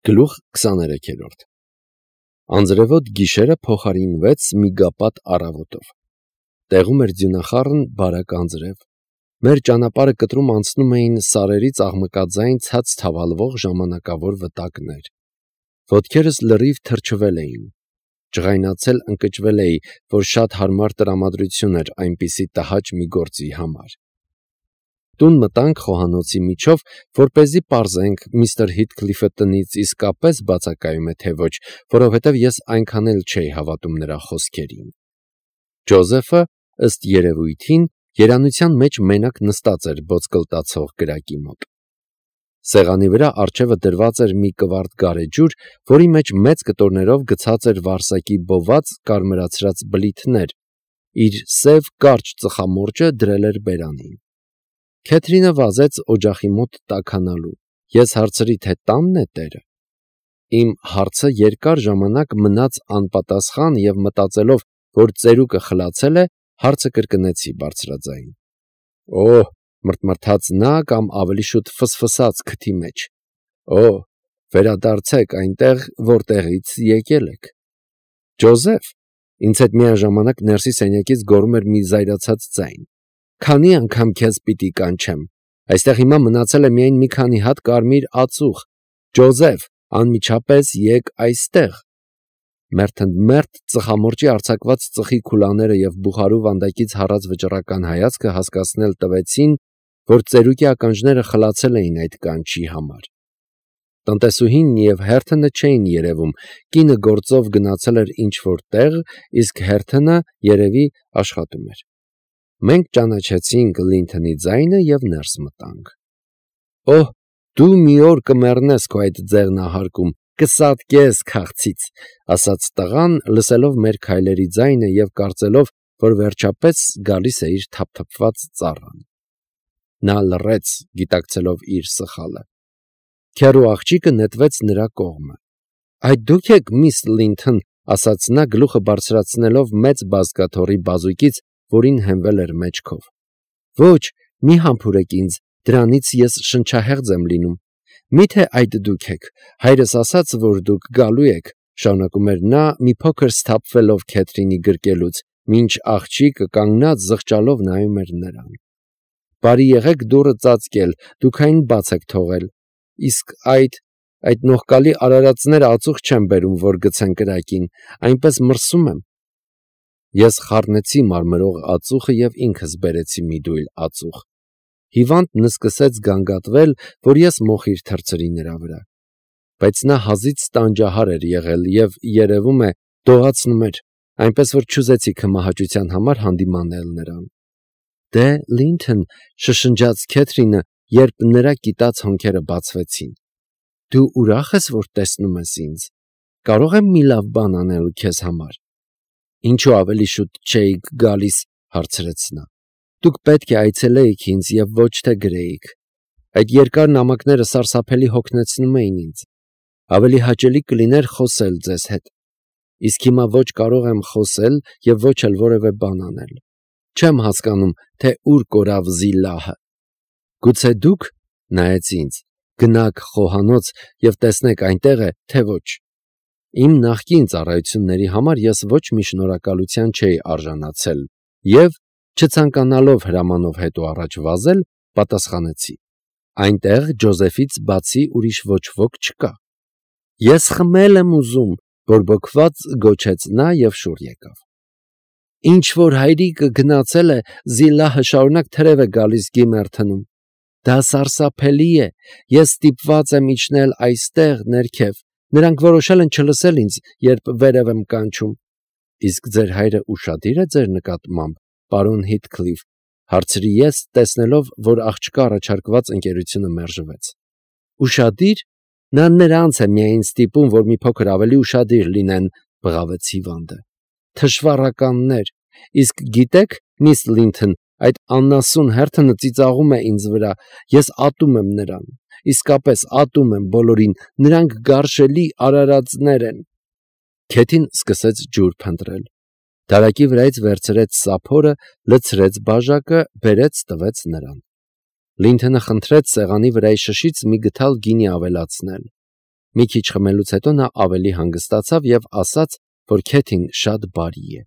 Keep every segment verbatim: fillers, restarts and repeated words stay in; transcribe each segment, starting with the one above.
Գլուխ քսաներեքերորդ Անձրևոտ գիշերը փոխարինվեց միգապատ առավոտով։ Տեղում էր ձյունախառն բարակ անձրև։ Մեր ճանապարհը կտրում անցնում էին սարերից աղմկաձայն ցած թավալվող ժամանակավոր վտակներ։ Ոտքերս լրիվ թրջվել էին։ Ջղայնացել ընկճվել էի, որ շատ հարմար տրամադրություն էր այնպիսի տհաճ մի գործի համար։ Տուն մտանք խոհանոցի միջով, որպեսզի պարզենք միստր Հիթքլիֆը տնից իսկապես բացակայում է, թե ոչ, որովհետև ես այնքան էլ չէի հավատում նրա խոսքերին։ Ջոզեֆը, ըստ երևույթին, երանության մեջ մենակ նստած էր ոսկլտացող կրակի մոտ։ Սեղանի վրա առջևը դրված էր մի կվարդ գարեջուր, որի մեջ մեծ կտորներով գցած էր վարսակի բոված կարմրացրած բլիթներ, իր սև կարճ ծխամորճը դրել էր բերանին։ Քեթրինը վազեց օջախի մոտ տաքանալու։ Ես հարցրի, թե տանն է տերը։ Իմ հարցը երկար ժամանակ մնաց անպատասխան և մտածելով, որ ծերուկը խլացել է, հարցը կրկնեցի բարձրաձայն։ Օհ, մռթմռթաց նա կամ ավելի շուտ ֆսֆսաց քթի մեջ։ Օհ, վերադարձեք այնտեղ, որտեղից եկել եք։ Ջոզեֆ, ինձ հետ միաժամանակ ներսի սենյակից գոռում էր մի զայրացած ձայն։ Քանի անգամ քեզ պիտի կանչեմ։ Այստեղ հիմա մնացել է միայն մի քանի հատ կարմիր ածուխ։ Ջոզեֆ, անմիջապես եկ այստեղ։ Մերթընդմերթ ծխամորճի արձակված ծխի քուլաները և բուխարու վանդակից հառած վճռական հայացքը հասկացնել տվեցին, որ ծերուկի ականջները խլացել էին այդ կանչի համար։ Տնտեսուհին և Հերթոնը չէին երևում, կինը գործով գնացել էր ինչ-որ տեղ, իսկ Հերթոնը, երևի, աշխատում էր։ Մենք ճանաչեցինք Լինթոնի ձայնը և ներս մտանք։ Օհ, դու մի օր կմեռնես քո այդ ձեղնահարկում, կսատկես քաղցից, ասաց տղան, լսելով մեր քայլերի ձայնը և կարծելով, որ վերջապես գալիս է իր թափթփված ծառան։ Նա լռեց, գիտակցելով իր սխալը։ Քեռու աղջիկը նետվեց նրա կողմը։ Այդ դուք եք, միս Լինթոն, ասաց նա գլուխը բարձրացնելով մեծ բազկաթոռի բազուկից, որին հենվել էր մեջքով։ Ոչ, մի համբուրեք ինձ, դրանից ես շնչահեղձ եմ լինում։ Մի՞թե այդ դուք եք, հայրս ասաց, որ դուք գալու եք, շարունակում էր նա, մի փոքր սթափվելով Քեթրինի գրկելուց, մինչ աղջիկը կանգնած զղջալով նայում էր նրան։ Բարի եղեք դուռը ծածկել, դուք այն բաց եք թողել։ Իսկ այդ, այդ նողկալի արարածները ածուխ չեն բերում, որ գցեն կրակին, այնպես մրսում եմ։ Ես խառնեցի մարմրող ածուխը և ինքս բերեցի մի դույլ ածուխ։ Հիվանդն սկսեց գանգատվել, որ ես մոխիր թռցրի նրա վրա։ Բայց նա հազիծ տանջահար էր եղել և, երևում է, դողացնում էր, այնպես որ չուզեցի քմահաճության համար հանդիմանել նրան։ Դե, Լինթոն, շշնջաց Քեթրինը, երբ նրա կիտած հոնքերը բացվեցին։ Դու ուրախ ես, որ տեսնում ես ինձ։ Կարո՞ղ եմ մի լավ բան անել քեզ համար։ Ինչու ավելի շուտ չէիք գալիս, հարցրեց նա։ Դուք պետք է այցելեիք ինձ և ոչ թե գրեիք։ Այդ երկար նամակները սարսափելի հոգնեցնում էին ինձ։ Ավելի հաճելի կլիներ խոսել ձեզ հետ։ Իսկ հիմա ոչ կարող եմ խոսել և ոչ էլ որևէ բան անել։ Չեմ հասկանում, թե ուր կորավ Զիլահը։ Գուցե դուք, նայեց ինձ, գնաք խոհանոց և տեսնեք այնտեղ է, թե ոչ։ Իմ նախկին ծառայությունների համար ես ոչ մի շնորհակալության չէի արժանացել և, չցանկանալով հրամանով հետո առաջ վազել, պատասխանեցի. Այնտեղ Ջոզեֆից բացի ուրիշ ոչ ոք չկա։ Ես խմել եմ ուզում, բորբոքված գոչեց նա և շուռ եկավ։ Ինչ որ հայրիկը գնացել է, Զիլահը շարունակ թրև է գալիս Գիմերթնում։ Դա սարսափելի է, ես ստիպված եմ իջնել այստեղ ներքև։ Նրանք որոշել են չլսել ինձ, երբ վերև եմ կանչում։ Իսկ ձեր հայրը ուշադիր է ձեր նկատմամբ, պարոն Հիթքլիֆ, հարցրի ես, տեսնելով, որ աղջկա առաջարկված ընկերությունը մերժվեց։ Ուշադիր։ Նա նրանց է միայն ստիպում, որ մի փոքր ավելի ուշադիր լինեն, բղավեց հիվանդը։ Թշվառականներ։ Իսկ գիտեք, միս Լինթոն, այդ անասուն Հերթոնը ծիծաղում է ինձ վրա, ես ատում եմ նրան։ Իսկապես ատում եմ բոլորին, նրանք գարշելի արարածներ են։ Քեթին սկսեց ջուր փնտրել։ Դարակի վրայից վերցրեց սափորը, լցրեց բաժակը, բերեց տվեց նրան։ Լինթոնը խնդրեց սեղանի վրայի շշից մի գդալ գինի ավելացնել։ Մի քիչ խմելուց հետո նա ավելի հանգստացավ և ասաց, որ Քեթին շատ բարի է։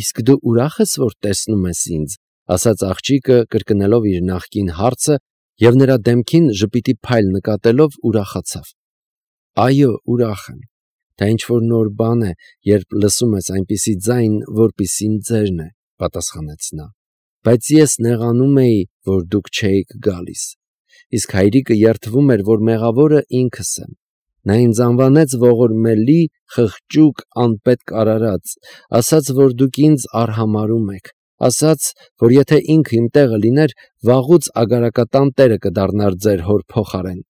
«Իսկ դու ուրախ ես, որ տեսնում ես ինձ», ասաց աղջիկը, կրկնելով իր նախկին հարցը, և նրա դեմքին ժպիտի փայլ նկատելով ուրախացավ։ «Այո, ուրախ եմ։ Դա ինչ-որ նոր բան է, երբ լսում ես այնպիսի ձայն, որպիսին ձերն է», պատասխանեց նա։ «Բայց ես նեղանում էի, որ դուք չէիք գալիս։ Իսկ հայրիկը երդվում էր, որ մեղավորը ինքս եմ։ Նա ինձ անվանեց ողորմելի, խղճուկ, անպետք արարած, ասաց, որ դուք ինձ արհամարհում եք, ասաց, որ եթե ինքը իմ տեղը լիներ, վաղուց ագարակատան տերը կդառնար ձեր հոր փոխարեն։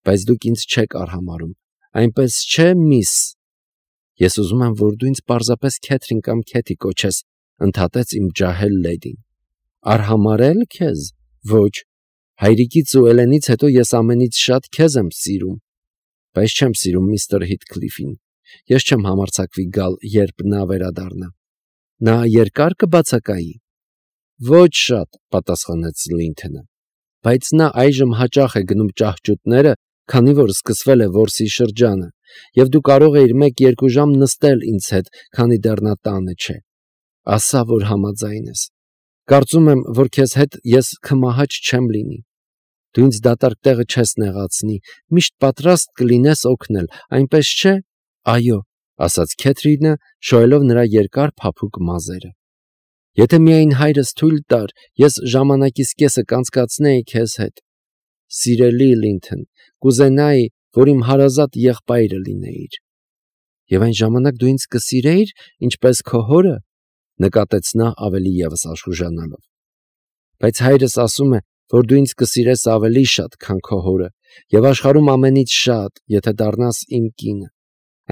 Բայց դուք ինձ չեք արհամարհում, այնպես չէ, միս»։ «Ես ուզում եմ, որ դու ինձ պարզապես Քեթրին կամ Քեթի կոչես», ընդհատեց իմ ջահել լեդին։ «Արհամարհե՞լ քեզ։ Ոչ, հայրիկից ու Էլենից հետո ես ամենից շատ քեզ եմ սիրում, բայց չեմ սիրում միստր Հիթքլիֆին։ Ես չեմ համարձակվի գալ, երբ նա վերադառնա։ Նա երկա՞ր կբացակայի»։ «Ոչ շատ», պատասխանեց Լինթոնը, «բայց նա այժմ հաճախ է գնում ճահճուտները, քանի որ սկսվել է որսի շրջանը, և դու կարող էիր մեկ-երկու ժամ նստել ինձ հետ, քանի դեռ նա տանը չէ։ Ասա, որ համաձայն ես։ Կարծում եմ, որ քեզ հետ ես քմահաճ չեմ լինի։ Դու ինձ դատարկ տեղը չես նեղացնի, միշտ պատրաստ կլինես օգնել, այնպես չէ»։ «Այո», ասաց Քեթրինը, շոյելով նրա երկար փափուկ մազերը։ «Եթե միայն հայրս թույլ տար, ես ժամանակիս կեսը կանցկացնեի քեզ հետ։ Սիրելի Լինթոն, կուզենայի, որ իմ հարազատ եղբայրը լինեիր»։ «Եվ այն ժամանակ դու ինձ կսիրեիր, ինչպես քո հորը», նկատեց նա ավելի ևս աշխուժանալով։ «Բայց հայրս ասում է, որ դու ինձ կսիրես ավելի շատ, քան քո հորը, և աշխարհում ամենից շատ, եթե դառնաս իմ կինը,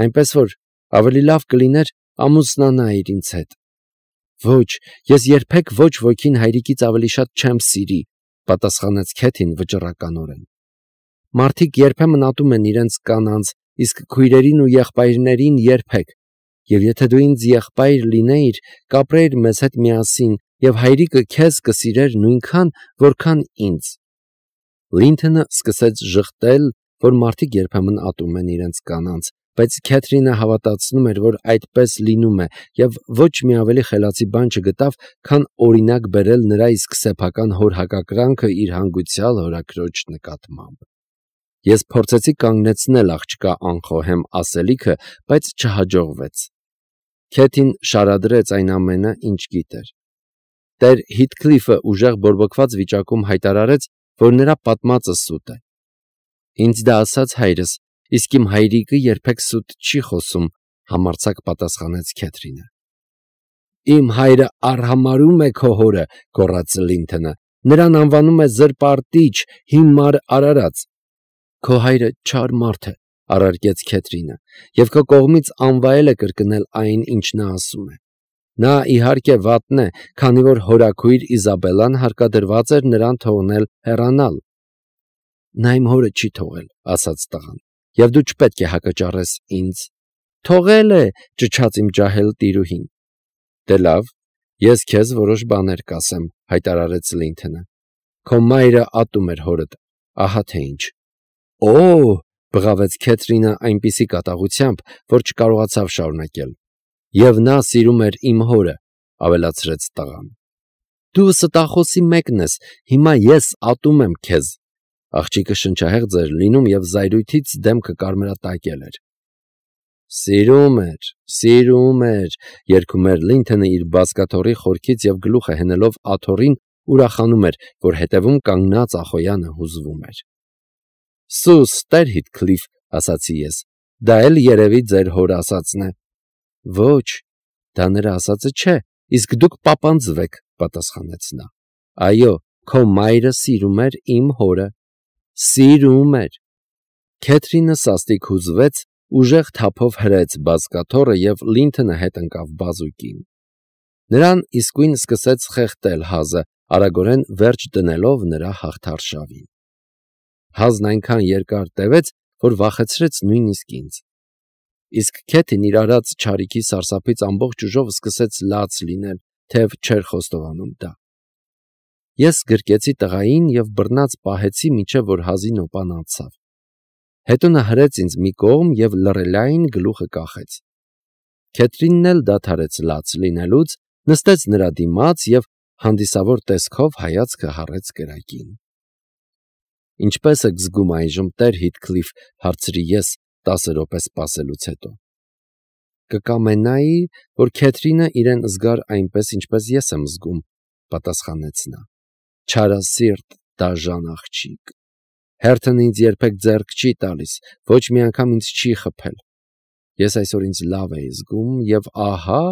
այնպես որ ավելի լավ կլիներ ամուսնանայիր ինձ հետ»։ «Ոչ, ես երբեք ոչ ոքին հայրիկից ավելի շատ չեմ սիրի», պատասխանեց Քեթին վճռականորեն։ «Մարդիկ երբեմն ատում են իրենց կանանց, իսկ քույրերին ու եղբայրներին երբեք, և եթե դու ինձ եղբայր լինեիր, կապրեիր մեզ հետ միասին, և հայրիկը քեզ կսիրեր նույնքան, որքան ինձ»։ Լինթոնը սկսեց ժխտել, որ մարդիկ երբեմն ատում են իրենց կանանց, բայց Քեթրինը հավատացնում էր, որ այդպես լինում է, և ոչ մի ավելի խելացի բան չգտավ, քան օրինակ բերել նրա իսկ սեփական հոր հակակրանքը իր հանգուցյալ հորաքրոջ նկատմամբ։ Ես փորձեցի կանգնեցնել աղջկա անխոհեմ ասելիքը, բայց չհաջողվեց։ Քեթին շարադրեց այն ամենը, ինչ գիտեր։ Տեր Հիթքլիֆը ուժեղ բորբոքված վիճակում հայտարարեց, որ նրա պատմածը սուտ է։ «Ինձ դա ասաց հայրս, իսկ իմ հայրիկը երբեք սուտ չի խոսում», համարձակ պատասխանեց Քեթրինը։ «Իմ հայրը արհամարհում է քո հորը», գոռաց Լինթոնը։ «Նրան անվանում է զրպարտիչ, հիմար արարած»։ «Քո հայրը չար մարդ է», առարկեց Քեթրինը, «և քո կողմից անվայել է կրկնել այն, ինչ նա ասում է։ Նա, իհարկե, վատն է, քանի որ հորաքույր Իզաբելլան հարկադրված էր նրան թողնել հեռանալ»։ «Նա իմ հորը չի թողել», ասաց տղան, «և դու չպետք է հակճառես ինձ»։ «Թողել է», ճչաց իմ ջահել տիրուհին։ «Դե լավ, ես քեզ որոշ բաներ կասեմ», հայտարարեց Լինթոնը։ «Քո մայրը ատում էր հորդ, ահա թե ինչ»։ «Օ՜», բղավեց Քեթրինը այնպիսի կատաղությամբ, որ չկարողացավ շարունակել։ «Եվ նա սիրում էր իմ հորը», ավելացրեց տղան։ «Դու ստախոսի մեկն ես, հիմա ես ատում եմ քեզ»։ Աղջիկը շնչահեղձ էր լինում և զայրույթից դեմքը կարմրատակել էր։ «Սիրում էր, սիրում էր», երգում էր Լինթոնը իր բազկաթոռի խորքից և գլուխը հենելով աթոռին ուրախանում էր, որ հետևում կանգնած Ախոյանը հուզվում էր։ «Սուս, տեր Հիթքլիֆ», ասացի ես, «դա էլ երևի ձեր հոր ասածն է»։ «Ոչ, դա նրա ասածը չէ, իսկ դուք պապանձվեք», պատասխանեց նա։ «Այո, քո մայրը սիրում էր իմ հորը։ Սիրում էր»։ Քեթրինը սաստիկ հուզվեց, ուժեղ թափով հրեց բազկաթոռը և Լինթոնը հետ ընկավ բազուկին։ Նրան իսկույն սկսեց խեղդել հազը, արագորեն վերջ դնելով նրա հաղթարշավին։ Հազն այնքան երկար տևեց, որ վախեցրեց նույնիսկ ինձ։ Իսկ Քեթին իր արած չարիքի սարսափից ամբողջ ուժով սկսեց լաց լինել, թեև չէր խոստովանում դա։ Ես գրկեցի տղային և բռնած պահեցի, մինչև որ հազի նոպան անցավ։ Հետո նա հրեց ինձ մի կողմ և լռելային գլուխը կախեց։ Քեթրինն էլ դադարեց լաց լինելուց, նստեց նրա դիմաց և հանդիսավոր տեսքով հայացքը հառեց կրակին։ «Ինչպե՞ս եք զգում այժմ, տեր Հիթքլիֆ», հարցրի ես տասը րոպե սպասելուց հետո։ «Կկամենայի, որ Քեթրինը իրեն զգար այնպես, ինչպես ես եմ զգում», պատասխանեց նա։ «Չարասիրտ, դաժան աղջիկ։ Հերթն ինձ երբեք ձեռք չի տալիս, ոչ մի անգամ ինձ չի խփել։ Ես այսօր ինձ լավ էի զգում, և ահա…»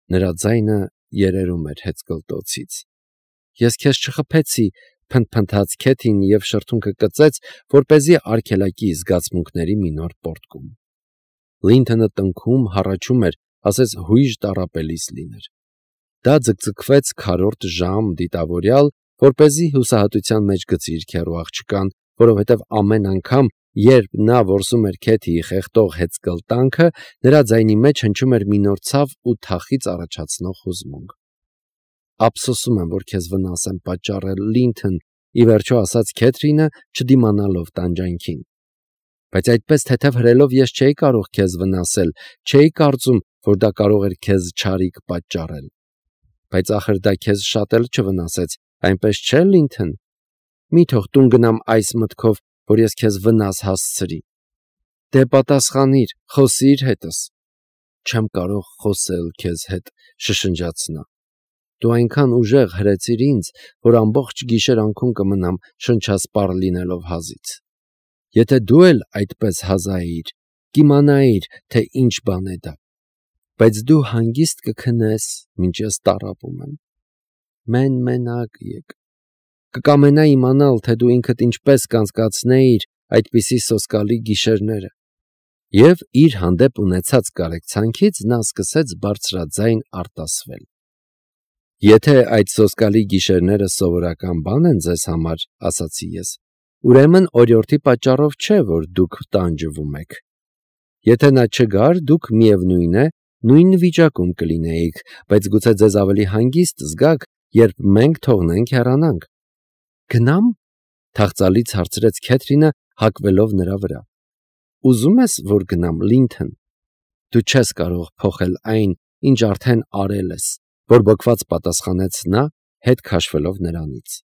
Նրա ձայնը երերում էր հեծկլտոցից։ «Ես քեզ չխփեցի», փնթփնթաց Քեթին և շրթունքը կծեց, որպեսզի արգելակի զգացմունքների մի նոր պոռթկում։ Լինթոնը տնքում, հառաչում էր, ասես հույժ տառապելիս լիներ։ Դա ձգձգվեց քառորդ ժամ դիտավորյալ, որպեսզի հուսահատության մեջ գցի իր քեռու աղջկան, որովհետև ամեն անգամ, երբ նա որսում էր Քեթիի խեղդող հեծկլտանքը, նրա ձայնի մեջ հնչում էր մի նոր ցավ ու թախիծ առաջացնող հուզմունք։ «Ափսոսում եմ, որ քեզ վնաս եմ պատճառել, Լինթոն», ի վերջո ասաց Քեթրինը, չդիմանալով տանջանքին։ «Բայց այդպես թեթև հրելով ես չէի կարող քեզ վնասել, չէի կարծում, որ դա կարող էր քեզ չարիք պատճառել»։ «Բայց ախր դա քեզ շատ էլ չվնասեց, այնպես չէ՞, Լինթոն։ Մի թող տուն գնամ այս մտքով, որ ես քեզ վնաս հասցրի»։ «Դե պատասխանիր, խոսիր հետս»։ «Չեմ կարող խոսել քեզ հետ», շշնջաց նա։ «Դու այնքան ուժեղ հրեցիր ինձ, որ ամբողջ գիշեր անքուն կմնամ շնչասպառ լինելով հազից։ Եթե դու էլ այդպես հազայիր, կիմանայիր, թե ինչ բան է դա։ Բայց դու հանգիստ կքնես, մինչ ես տառապում եմ։ Մեն-մենակ եկ։ Կկամենայի իմանալ, թե դու ինքդ ինչպես կանցկացնեիր այդպիսի սոսկալի գիշերները»։ Եվ իր հանդեպ ունեցած կարեկցանքից նա սկսեց բարձրաձայն արտասվել։ «Եթե այդ սոսկալի գիշերները սովորական բան են ձեզ համար, — ասացի ես, — ուրեմն օրիորդի պատճառով չէ, որ դուք տանջվում եք։ Եթե նա չգար, դուք, միևնույն է, նույն վիճակում կլինեիք, բայց գուցե ձեզ ավելի հանգիստ զգաք, երբ մենք թողնենք հեռանանք»։ «Գնա՞մ», թախծալից հարցրեց Քեթրինը, հակվելով նրա վրա։ «Ուզում ես, որ գնամ, Լինթոն։ Դու չես կարող փոխել այն, ինչ արդեն արել ես», բորբոքված պատասխանեց նա, հետ քաշվելով նրանից։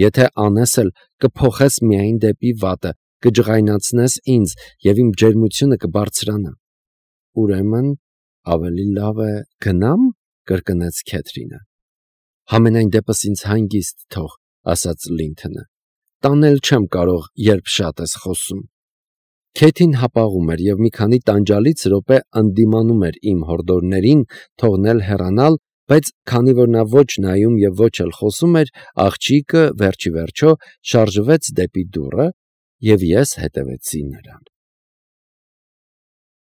«Եթե անես էլ, կփոխես միայն դեպի վատը, կջղայնացնես ինձ, և իմ ջերմությունը կբարձրանա»։ «Ուրեմն ավելի լավ է գնա՞մ», կրկնեց Քեթրինը։ «Համենայն դեպս ինձ հանգիստ թող», ասաց Լինթոնը։ «Տանել չեմ կարող, երբ շատ ես խոսում»։ Քեթին հապաղում էր և մի քանի տանջալից րոպե ընդդիմանում էր իմ հորդորներին թողնել հեռանալ, բայց քանի որ նա ոչ նայում և ոչ էլ խոսում էր, աղջիկը վերջիվերջո շարժվեց դեպի դուռը, և ես հետևեցի նրան։